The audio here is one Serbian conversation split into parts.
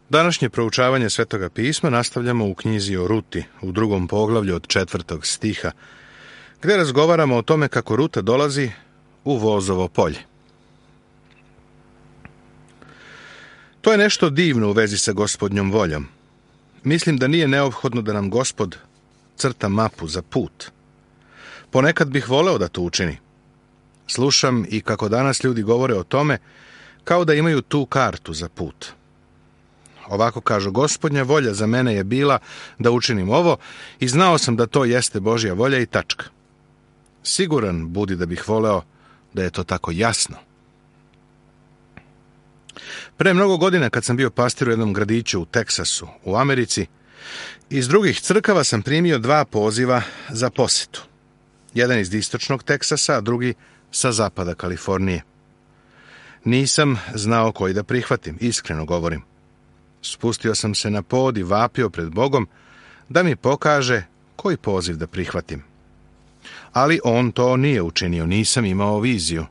Današnje proučavanje Svetoga pisma nastavljamo u knjizi o Ruti, u 2. poglavlju od 4. stiha, gdje razgovaramo o tome kako Ruta dolazi u Vozovo polje. To je nešto divno u vezi sa Gospodnjom voljom. Mislim da nije neophodno da nam Gospod crta mapu za put. Ponekad bih voleo da to učini. Slušam i kako danas ljudi govore o tome kao da imaju tu kartu za put. Ovako kažu: Gospodnja volja za mene je bila da učinim ovo i znao sam da to jeste Božja volja i tačka. Siguran budi da bih voleo da je to tako jasno. Pre mnogo godina, kad sam bio pastir u jednom gradiću u Teksasu, u Americi, iz drugih crkava sam primio 2 poziva za posetu. Jedan iz istočnog Teksasa, a drugi sa zapada Kalifornije. Nisam znao koji da prihvatim, iskreno govorim. Spustio sam se na pod i vapio pred Bogom da mi pokaže koji poziv da prihvatim. Ali on to nije učinio, nisam imao viziju.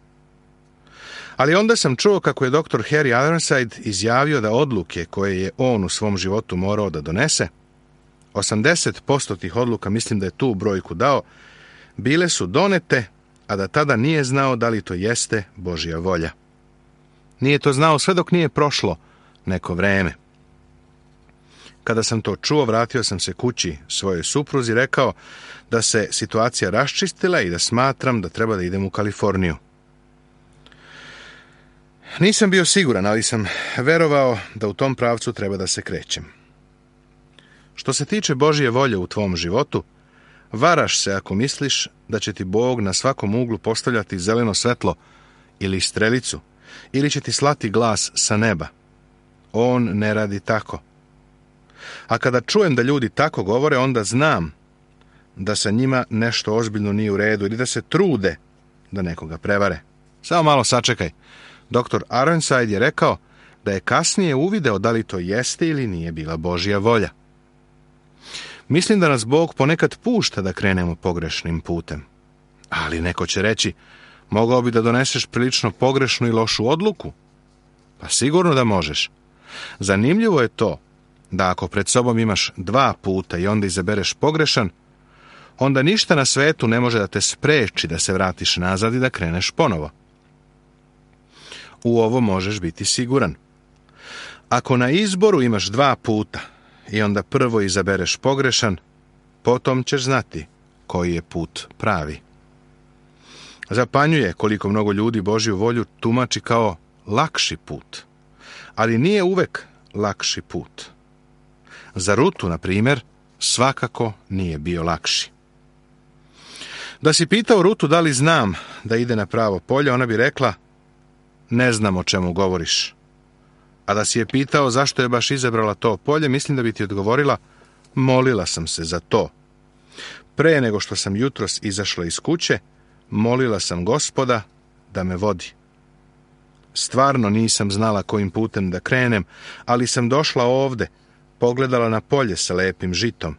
Ali onda sam čuo kako je dr. Harry Ironside izjavio da odluke koje je on u svom životu morao da donese, 80% tih odluka, mislim da je tu brojku dao, bile su donete, a da tada nije znao da li to jeste Božja volja. Nije to znao sve dok nije prošlo neko vreme. Kada sam to čuo, vratio sam se kući svojoj supruzi i rekao da se situacija raščistila i da smatram da treba da idem u Kaliforniju. Nisam bio siguran, ali sam verovao da u tom pravcu treba da se krećem. Što se tiče Božje volje u tvom životu, varaš se ako misliš da će ti Bog na svakom uglu postavljati zeleno svetlo ili strelicu, ili će ti slati glas sa neba. On ne radi tako. A kada čujem da ljudi tako govore, onda znam da sa njima nešto ozbiljno nije u redu ili da se trude da nekoga prevare. Samo malo sačekaj. Dr. Ironside je rekao da je kasnije uvideo da li to jeste ili nije bila Božja volja. Mislim da nas Bog ponekad pušta da krenemo pogrešnim putem. Ali neko će reći: mogao bi da doneseš prilično pogrešnu i lošu odluku. Pa sigurno da možeš. Zanimljivo je to da ako pred sobom imaš 2 puta i onda izabereš pogrešan, onda ništa na svetu ne može da te spreči da se vratiš nazad i da kreneš ponovo. U ovo možeš biti siguran. Ako na izboru imaš 2 puta i onda prvo izabereš pogrešan, potom ćeš znati koji je put pravi. Zapanjuje koliko mnogo ljudi Božju volju tumači kao lakši put, ali nije uvek lakši put. Za Rutu, na primjer, svakako nije bio lakši. Da si pitao Rutu da li znam da ide na pravo polje, ona bi rekla: ne znam o čemu govoriš. A da si je pitao zašto je baš izabrala to polje, mislim da bi ti odgovorila: molila sam se za to. Pre nego što sam jutros izašla iz kuće, molila sam Gospoda da me vodi. Stvarno nisam znala kojim putem da krenem, ali sam došla ovde, pogledala na polje sa lepim žitom.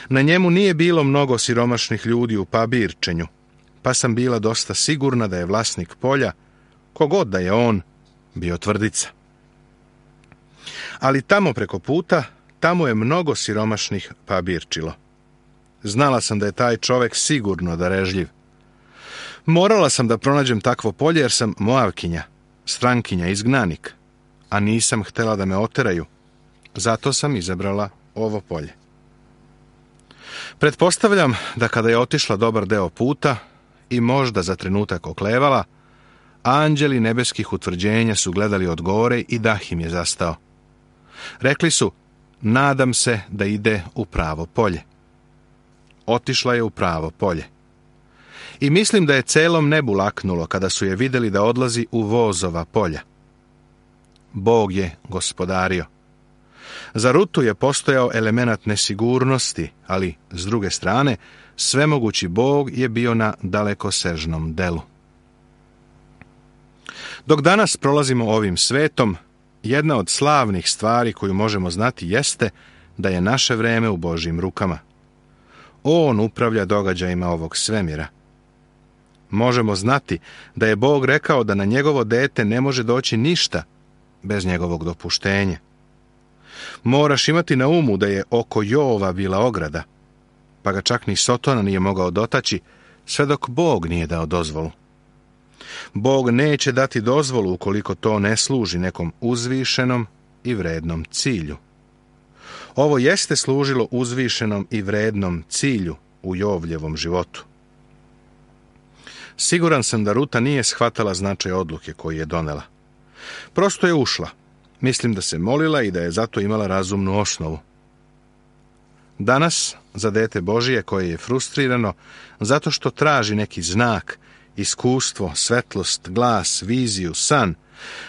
Na njemu nije bilo mnogo siromašnih ljudi u pabirčenju, pa sam bila dosta sigurna da je vlasnik polja, kogod da je on, bio tvrdica. Ali tamo preko puta, tamo je mnogo siromašnih pabirčilo. Znala sam da je taj čovek sigurno darežljiv. Morala sam da pronađem takvo polje jer sam Moavkinja, strankinja, izgnanik, a nisam htela da me oteraju. Zato sam izabrala ovo polje. Pretpostavljam da kada je otišla dobar deo puta i možda za trenutak oklevala, anđeli nebeskih utvrđenja su gledali od gore i dah im je zastao. Rekli su: nadam se da ide u pravo polje. Otišla je u pravo polje. I mislim da je celom nebu laknulo kada su je vidjeli da odlazi u Vozova polja. Bog je gospodario. Za Rutu je postojao elemenat nesigurnosti, ali s druge strane, svemogući Bog je bio na dalekosežnom delu. Dok danas prolazimo ovim svetom, jedna od slavnih stvari koju možemo znati jeste da je naše vreme u Božjim rukama. On upravlja događajima ovog svemira. Možemo znati da je Bog rekao da na njegovo dete ne može doći ništa bez njegovog dopuštenja. Moraš imati na umu da je oko Jova bila ograda, pa ga čak ni Sotona nije mogao dotaći, sve dok Bog nije dao dozvolu. Bog neće dati dozvolu ukoliko to ne služi nekom uzvišenom i vrednom cilju. Ovo jeste služilo uzvišenom i vrednom cilju u Jovljevom životu. Siguran sam da Ruta nije shvatala značaj odluke koju je donela. Prosto je ušla. Mislim da se molila i da je zato imala razumnu osnovu. Danas, za dete Božije koje je frustrirano zato što traži neki znak, iskustvo, svetlost, glas, viziju, san,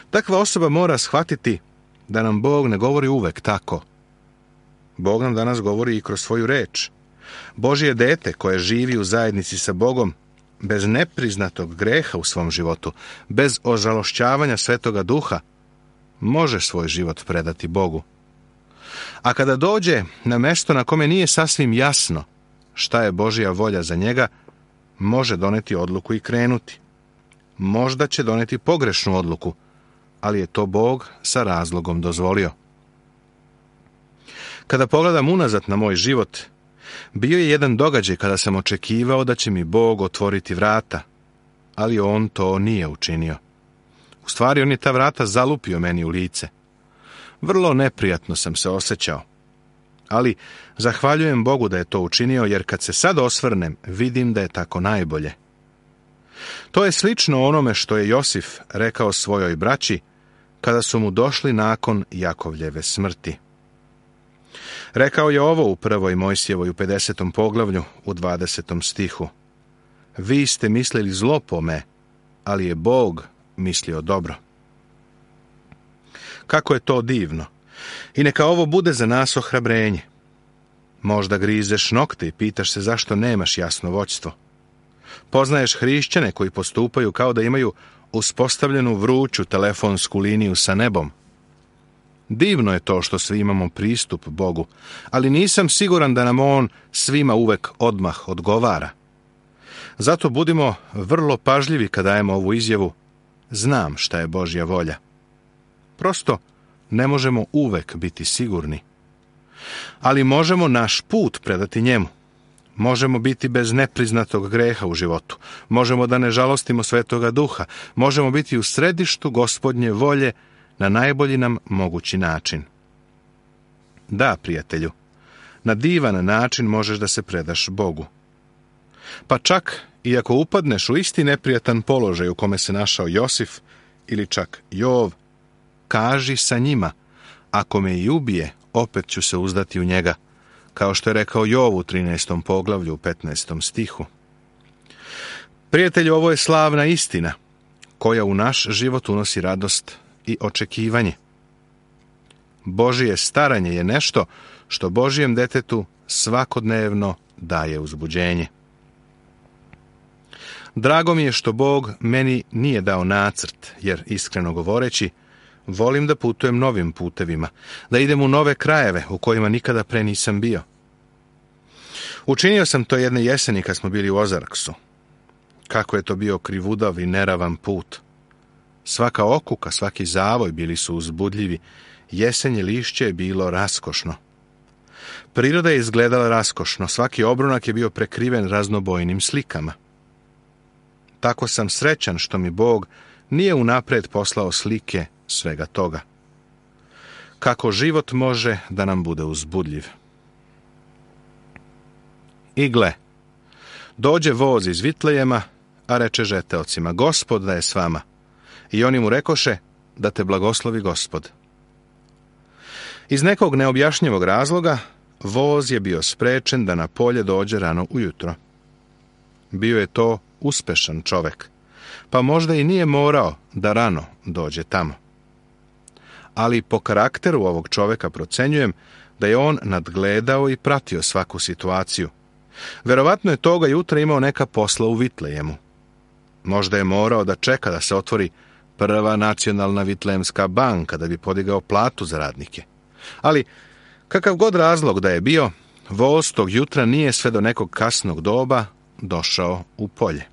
takva osoba mora shvatiti da nam Bog ne govori uvek tako. Bog nam danas govori i kroz svoju reč. Božje dete koje živi u zajednici sa Bogom, bez nepriznatog greha u svom životu, bez ožalošćavanja Svetoga Duha, može svoj život predati Bogu. A kada dođe na mesto na kome nije sasvim jasno šta je Božja volja za njega, može doneti odluku i krenuti. Možda će doneti pogrešnu odluku, ali je to Bog sa razlogom dozvolio. Kada pogledam unazad na moj život, bio je jedan događaj kada sam očekivao da će mi Bog otvoriti vrata, ali on to nije učinio. U stvari, on je ta vrata zalupio meni u lice. Vrlo neprijatno sam se osjećao. Ali zahvaljujem Bogu da je to učinio, jer kad se sad osvrnem, vidim da je tako najbolje. To je slično onome što je Josif rekao svojoj braći kada su mu došli nakon Jakovljeve smrti. Rekao je ovo u 1. Mojsijevoj u 50. poglavlju u 20. stihu. Vi ste mislili zlo po me, ali je Bog mislio dobro. Kako je to divno! I neka ovo bude za nas ohrabrenje. Možda grizeš nokte i pitaš se zašto nemaš jasno vođstvo. Poznaješ hrišćane koji postupaju kao da imaju uspostavljenu vruću telefonsku liniju sa nebom. Divno je to što svi imamo pristup Bogu, ali nisam siguran da nam On svima uvek odmah odgovara. Zato budimo vrlo pažljivi kad dajemo ovu izjavu: znam šta je Božja volja. Prosto ne možemo uvek biti sigurni. Ali možemo naš put predati njemu. Možemo biti bez nepriznatog greha u životu. Možemo da ne žalostimo Svetoga Duha. Možemo biti u središtu Gospodnje volje na najbolji nam mogući način. Da, prijatelju, na divan način možeš da se predaš Bogu. Pa čak i ako upadneš u isti neprijatan položaj u kome se našao Josif ili čak Jov, kaži sa njima: ako me i ubije, opet ću se uzdati u njega, kao što je rekao Jov u 13. poglavlju u 15. stihu. Prijatelju, ovo je slavna istina, koja u naš život unosi radost i očekivanje. Božje staranje je nešto što Božjem detetu svakodnevno daje uzbuđenje. Drago mi je što Bog meni nije dao nacrt, jer iskreno govoreći, volim da putujem novim putevima, da idem u nove krajeve u kojima nikada pre nisam bio. Učinio sam to jedne jeseni kad smo bili u Ozarksu. Kako je to bio krivudav i neravan put. Svaka okuka, svaki zavoj bili su uzbudljivi, jesenje lišće je bilo raskošno. Priroda je izgledala raskošno, svaki obrunak je bio prekriven raznobojnim slikama. Tako sam srećan što mi Bog nije unapred poslao slike svega toga. Kako život može da nam bude uzbudljiv. I gle, dođe voz iz Vitlejema, a reče žeteocima: Gospod da je s vama. I oni mu rekoše: da te blagoslovi Gospod. Iz nekog neobjašnjivog razloga, voz je bio sprečen da na polje dođe rano ujutro. Bio je to uspešan čovek, pa možda i nije morao da rano dođe tamo. Ali po karakteru ovog čoveka procenjujem da je on nadgledao i pratio svaku situaciju. Verovatno je toga jutra imao neka posla u Vitlejemu. Možda je morao da čeka da se otvori prva nacionalna vitlejemska banka da bi podigao platu za radnike. Ali, kakav god razlog da je bio, voz tog jutra nije sve do nekog kasnog doba došao u polje.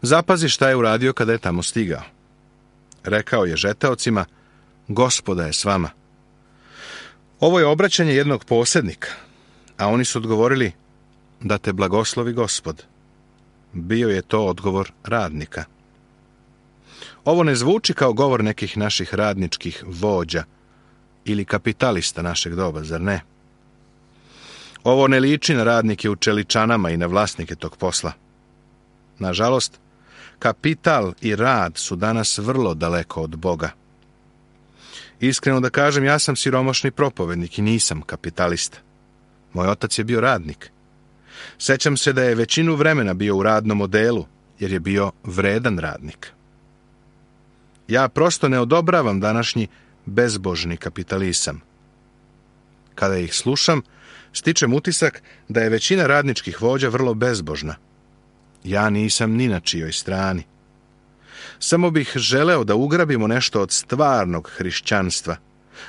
Zapazi šta je uradio kada je tamo stigao. Rekao je žeteocima: Gospoda je s vama. Ovo je obraćanje jednog posjednika, a oni su odgovorili: da te blagoslovi Gospod. Bio je to odgovor radnika. Ovo ne zvuči kao govor nekih naših radničkih vođa ili kapitalista našeg doba, zar ne? Ovo ne liči na radnike u čeličanama i na vlasnike tog posla. Nažalost, kapital i rad su danas vrlo daleko od Boga. Iskreno da kažem, ja sam siromašni propovednik i nisam kapitalista. Moj otac je bio radnik. Sećam se da je većinu vremena bio u radnom odelu, jer je bio vredan radnik. Ja prosto ne odobravam današnji bezbožni kapitalizam. Kada ih slušam, stičem utisak da je većina radničkih vođa vrlo bezbožna. Ja nisam ni na čijoj strani. Samo bih želeo da ugrabimo nešto od stvarnog hrišćanstva,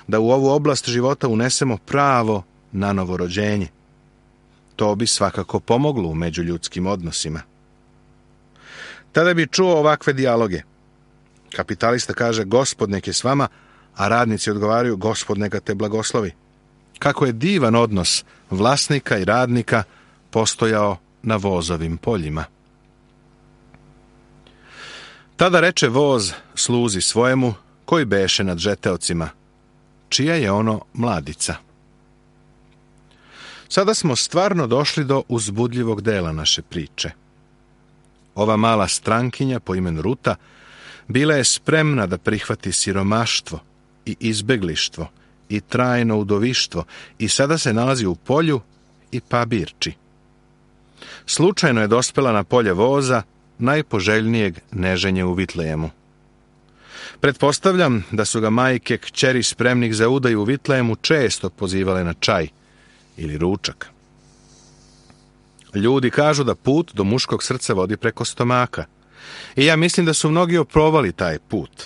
da u ovu oblast života unesemo pravo na novorođenje. To bi svakako pomoglo u međuljudskim odnosima. Tada bi čuo ovakve dijaloge. Kapitalista kaže: Gospod nek je s vama, a radnici odgovaraju: Gospod neka te blagoslovi. Kako je divan odnos vlasnika i radnika postojao na vozovim poljima. Tada reče voz sluzi svojemu, koji beše nad žeteocima: čija je ono mladica? Sada smo stvarno došli do uzbudljivog dela naše priče. Ova mala strankinja po imenu Ruta bila je spremna da prihvati siromaštvo i izbeglištvo i trajno udovištvo i sada se nalazi u polju i pabirči. Slučajno je dospela na polje voza, najpoželjnijeg neženje u Vitlejemu. Pretpostavljam da su ga majke kćeri spremnih za udaju u Vitlejemu često pozivale na čaj ili ručak. Ljudi kažu da put do muškog srca vodi preko stomaka. I ja mislim da su mnogi oprovali taj put.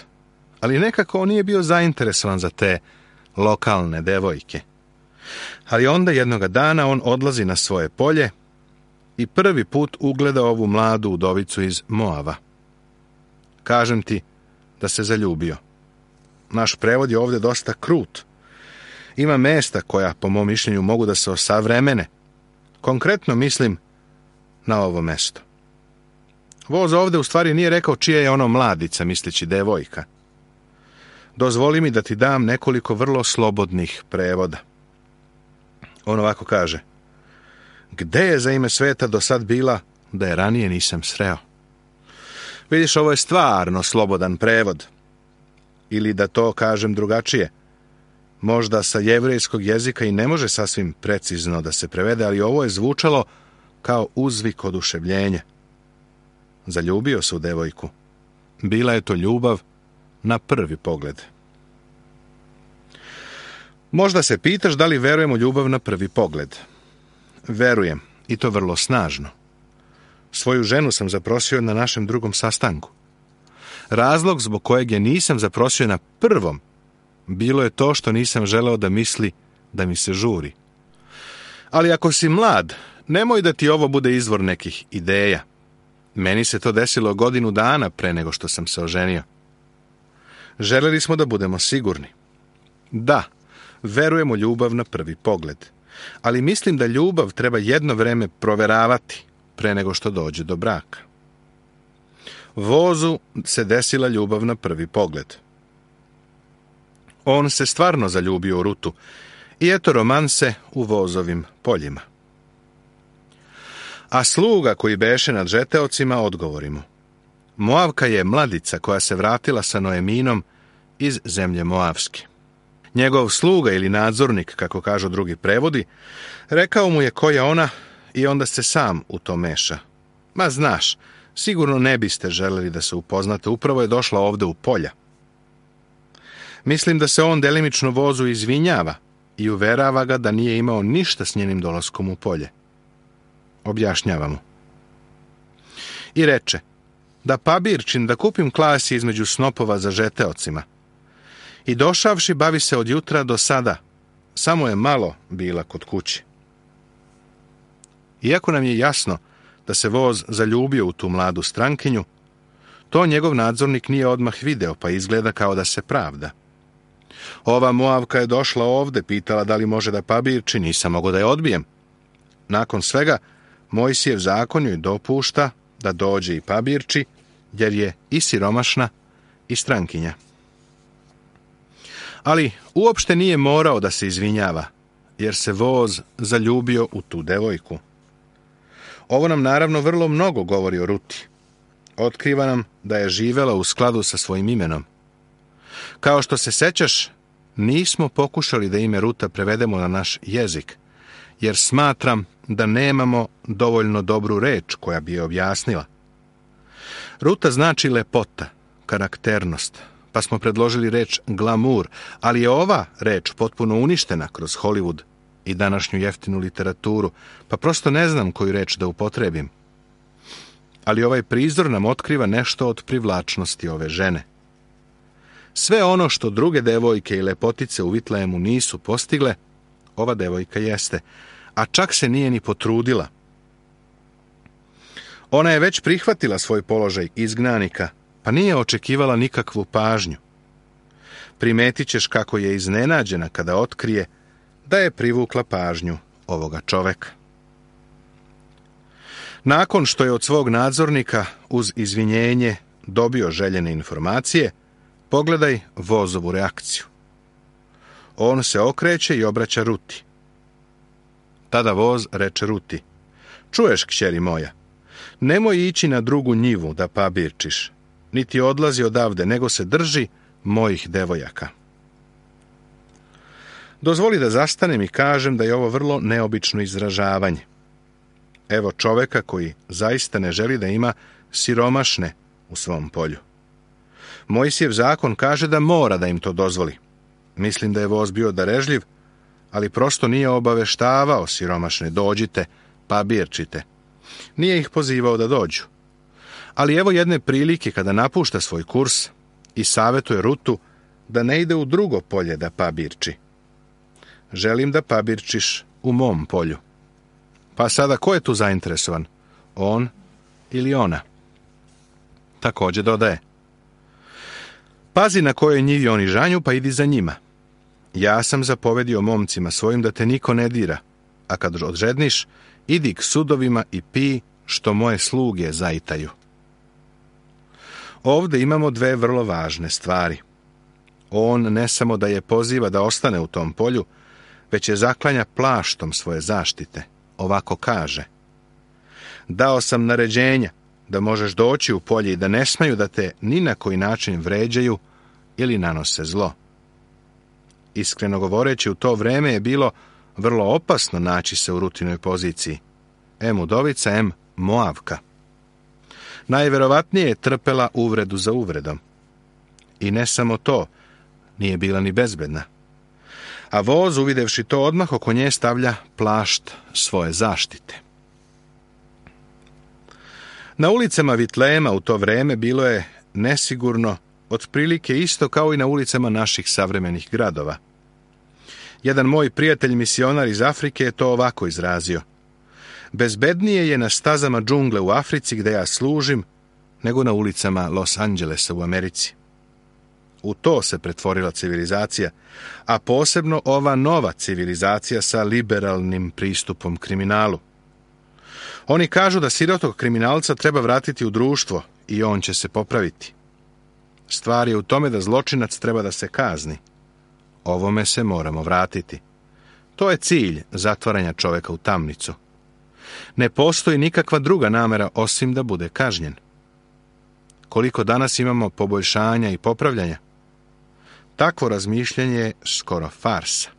Ali nekako on nije bio zainteresovan za te lokalne devojke. Ali onda jednoga dana on odlazi na svoje polje i prvi put ugleda ovu mladu udovicu iz Moava. Kažem ti da se zaljubio. Naš prevod je ovdje dosta krut. Ima mesta koja, po mom mišljenju, mogu da se osavremene. Konkretno mislim na ovo mesto. Voz ovdje u stvari nije rekao čija je ono mladica, misleći devojka. Dozvoli mi da ti dam nekoliko vrlo slobodnih prevoda. On ovako kaže: gde je za ime sveta do sad bila, da je ranije nisam sreo? Vidiš, ovo je stvarno slobodan prevod. Ili da to kažem drugačije. Možda sa jevrejskog jezika i ne može sasvim precizno da se prevede, ali ovo je zvučalo kao uzvik oduševljenja. Zaljubio se u devojku. Bila je to ljubav na prvi pogled. Možda se pitaš da li verujem u ljubav na prvi pogled. Verujem, i to vrlo snažno. Svoju ženu sam zaprosio na našem drugom sastanku. Razlog zbog kojeg je nisam zaprosio na prvom bilo je to što nisam želeo da misli da mi se žuri. Ali ako si mlad, nemoj da ti ovo bude izvor nekih ideja. Meni se to desilo 1 godinu dana pre nego što sam se oženio. Želeli smo da budemo sigurni. Da, verujemo ljubav na prvi pogled, ali mislim da ljubav treba jedno vreme proveravati pre nego što dođe do braka. Vozu se desila ljubav na prvi pogled. On se stvarno zaljubio u Rutu i eto romanse u vozovim poljima. A sluga koji beše nad žeteocima odgovori mu: Moavka je mladica koja se vratila sa Noeminom iz zemlje Moavske. Njegov sluga ili nadzornik, kako kažu drugi prevodi, rekao mu je ko je ona i onda se sam u to meša. Ma znaš, sigurno ne biste želeli da se upoznate, upravo je došla ovde u polja. Mislim da se on delimično vozu izvinjava i uverava ga da nije imao ništa s njenim dolaskom u polje. Objašnjava mu. I reče: da pabirčin, da kupim klasi između snopova za žeteocima. I došavši bavi se od jutra do sada, samo je malo bila kod kuće. Iako nam je jasno da se voz zaljubio u tu mladu strankinju, to njegov nadzornik nije odmah video, pa izgleda kao da se pravda. Ova Moavka je došla ovde, pitala da li može da pabirči, nisam mogao da je odbijem. Nakon svega, Mojsijev zakon joj dopušta da dođe i pabirči, jer je i siromašna i strankinja. Ali uopšte nije morao da se izvinjava, jer se voz zaljubio u tu devojku. Ovo nam naravno vrlo mnogo govori o Ruti. Otkriva nam da je živela u skladu sa svojim imenom. Kao što se sećaš, nismo pokušali da ime Ruta prevedemo na naš jezik, jer smatram da nemamo dovoljno dobru reč koja bi je objasnila. Ruta znači lepota, karakternost, pa smo predložili reč glamur, ali je ova reč potpuno uništena kroz Hollywood i današnju jeftinu literaturu, pa prosto ne znam koju reč da upotrebim. Ali ovaj prizor nam otkriva nešto od privlačnosti ove žene. Sve ono što druge devojke i lepotice u Vitlejemu nisu postigle, ova devojka jeste, a čak se nije ni potrudila. Ona je već prihvatila svoj položaj izgnanika, pa nije očekivala nikakvu pažnju. Primetit ćeš kako je iznenađena kada otkrije da je privukla pažnju ovoga čoveka. Nakon što je od svog nadzornika uz izvinjenje dobio željene informacije, pogledaj vozovu reakciju. On se okreće i obraća Ruti. Tada voz reče Ruti: čuješ, kćeri moja, nemoj ići na drugu njivu da pabirčiš, niti odlazi odavde, nego se drži mojih devojaka. Dozvoli da zastanem i kažem da je ovo vrlo neobično izražavanje. Evo čoveka koji zaista ne želi da ima siromašne u svom polju. Mojsijev zakon kaže da mora da im to dozvoli. Mislim da je voz bio darežljiv, ali prosto nije obaveštavao siromašne: dođite, pabirčite. Nije ih pozivao da dođu. Ali evo jedne prilike kada napušta svoj kurs i savetuje Rutu da ne ide u drugo polje da pabirči. Želim da pabirčiš u mom polju. Pa sada ko je tu zainteresovan? On ili ona? Također dodaje: pazi na kojoj njivi oni žanju, pa idi za njima. Ja sam zapovedio momcima svojim da te niko ne dira, a kad odžedniš, idi k sudovima i pi što moje sluge zaitaju. Ovde imamo dve vrlo važne stvari. On ne samo da je poziva da ostane u tom polju, već je zaklanja plaštom svoje zaštite. Ovako kaže: dao sam naređenja da možeš doći u polje i da ne smeju da te ni na koji način vređaju ili nanose zlo. Iskreno govoreći, u to vreme je bilo vrlo opasno naći se u Rutinoj poziciji. Em udovica, em Moavka. Najverovatnije je trpela uvredu za uvredom. I ne samo to, nije bila ni bezbedna. A voz, uvidevši to, odmah oko nje stavlja plašt svoje zaštite. Na ulicama Vitlejema u to vreme bilo je nesigurno, otprilike isto kao i na ulicama naših savremenih gradova. Jedan moj prijatelj misionar iz Afrike je to ovako izrazio: bezbednije je na stazama džungle u Africi gde ja služim, nego na ulicama Los Angelesa u Americi. U to se pretvorila civilizacija, a posebno ova nova civilizacija sa liberalnim pristupom kriminalu. Oni kažu da sirotog kriminalca treba vratiti u društvo i on će se popraviti. Stvar je u tome da zločinac treba da se kazni. Ovome se moramo vratiti. To je cilj zatvaranja čoveka u tamnicu. Ne postoji nikakva druga namera osim da bude kažnjen. Koliko danas imamo poboljšanja i popravljanja? Takvo razmišljanje je skoro farsa.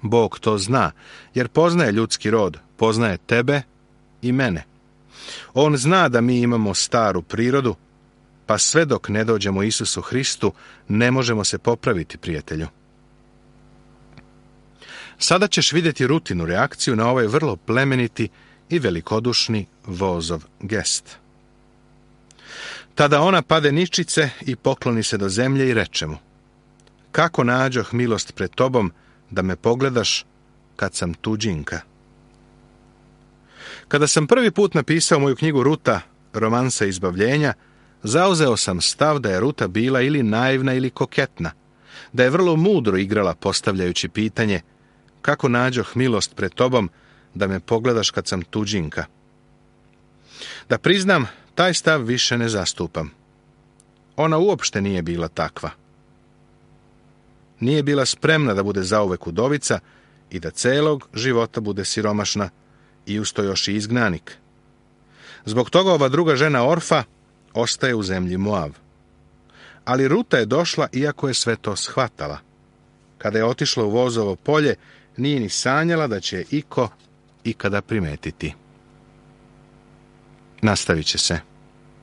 Bog to zna, jer poznaje ljudski rod, poznaje tebe i mene. On zna da mi imamo staru prirodu, pa sve dok ne dođemo Isusu Hristu, ne možemo se popraviti, prijatelju. Sada ćeš vidjeti Rutinu reakciju na ovaj vrlo plemeniti i velikodušni vozov gest. Tada ona pade ničice i pokloni se do zemlje i reče mu: kako nađoh milost pred tobom da me pogledaš kad sam tuđinka. Kada sam prvi put napisao moju knjigu Ruta, romansa izbavljenja, zauzeo sam stav da je Ruta bila ili naivna ili koketna, da je vrlo mudro igrala postavljajući pitanje kako nađoh milost pred tobom da me pogledaš kad sam tuđinka. Da priznam, taj stav više ne zastupam. Ona uopšte nije bila takva. Nije bila spremna da bude zauvek udovica i da celog života bude siromašna i usto još i izgnanik. Zbog toga ova druga žena Orfa ostaje u zemlji Moav. Ali Ruta je došla iako je sve to shvatala. Kada je otišla u vozovo polje, nije ni sanjala da će je iko ikada primetiti. Nastavit će se.